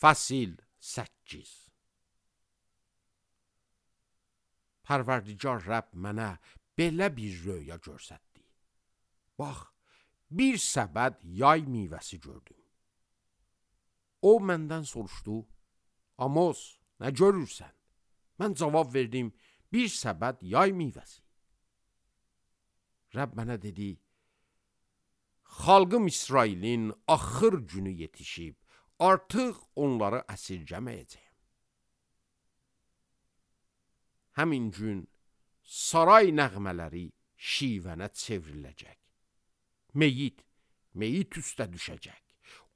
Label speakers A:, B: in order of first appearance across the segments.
A: Fəsil 8. Pərverdigar Rəbb mənə belə bir röya görsətdi. Bax, bir səbəd yay meyvəsi gördüm. O məndən soruşdu, Amos, nə görürsən? Mən cavab verdim, bir səbəd yay meyvəsi. Rəbb mənə dedi, xalqım İsrailin axır günü yetişib, artıq onları əsirgəməyəcəyəm. Həmin gün saray nəğmələri şivənə çevriləcək. Meyit üstə düşəcək.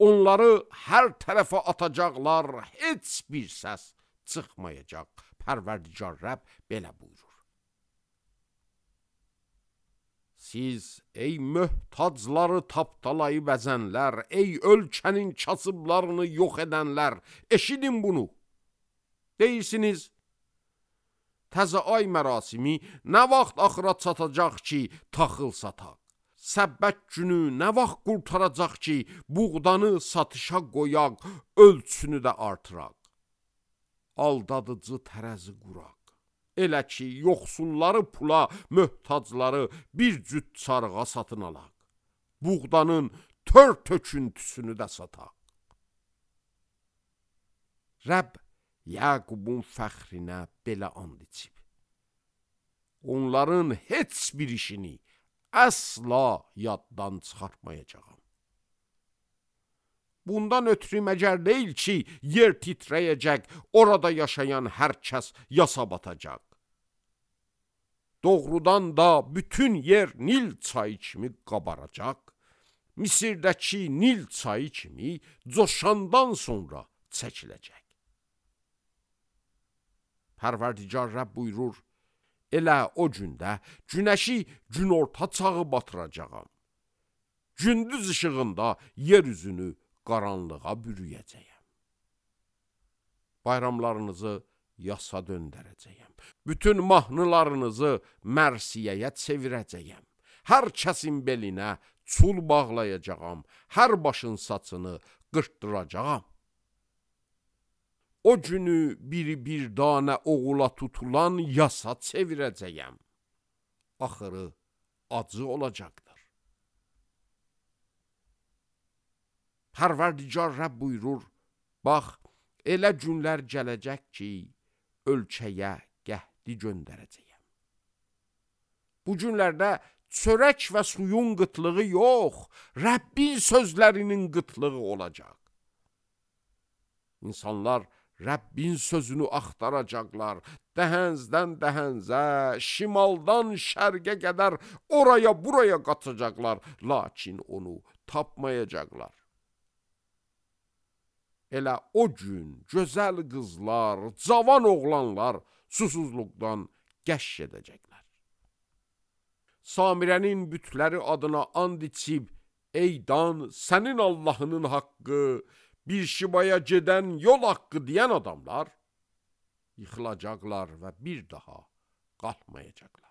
A: Onları hər tərəfə atacaqlar, heç bir səs çıxmayacaq. Pərverdigar Rəbb belə buyurur. Siz, ey möhtacları tapdalayıb əzənlər, ey ölkənin kasıblarını yox edənlər, eşidin bunu. Deyirsiniz, təzə ay mərasimi nə vaxt axıra çatacaq ki, taxıl sataq? Səbbət günü nə vaxt qurtaracaq ki, buğdanı satışa qoyaq, ölçünü də artıraq? Aldadıcı tərəzi quraq. Elə ki, yoxsulları pula, möhtacları bir cüt çarığa satın alaq. Buğdanın tör töküntüsünü də sataq. Rəbb Yaqubun fəxrinə belə and içib. Onların heç bir işini əsla yaddan çıxartmayacağam. Bundan ötürü məgər deyil ki, yer titrəyəcək, orada yaşayan hər kəs yasa batacaq. Doğrudan da bütün yer Nil çayı kimi qabaracaq. Misirdəki Nil çayı kimi coşandan sonra çəkiləcək. Pərverdigar Rəbb buyurur, elə o gündə günəşi günorta çağı batıracağam. Gündüz işığında yer üzünü qaranlığa bürüyəcəyəm. Bayramlarınızı yasa döndərəcəyəm. Bütün mahnılarınızı mərsiyəyə çevirəcəyəm. Hər kəsin belinə çul bağlayacağam. Hər başın saçını qırtdıracağam. O günü bir danə oğula tutulan yasa çevirəcəyəm. Axırı acı olacaqdır. Pərverdigar Rəbb buyurur, bax, elə günlər gələcək ki, ölkəyə qəhdi göndərəcəyəm. Bu günlərdə çörək və suyun qıtlığı yox, Rəbbin sözlərinin qıtlığı olacaq. İnsanlar Rəbbin sözünü axtaracaqlar, dəhəzdən dəhəzə, şimaldan şərqə qədər oraya buraya qaçacaqlar, lakin onu tapmayacaqlar. Elə o gün gözəl qızlar, cavan oğlanlar susuzluqdan qəş edəcəklər. Samirənin bütləri adına and içib, ey Dan, sənin Allahının haqqı, bir şibaya gedən yol haqqı deyən adamlar yıxılacaqlar və bir daha qalxmayacaqlar.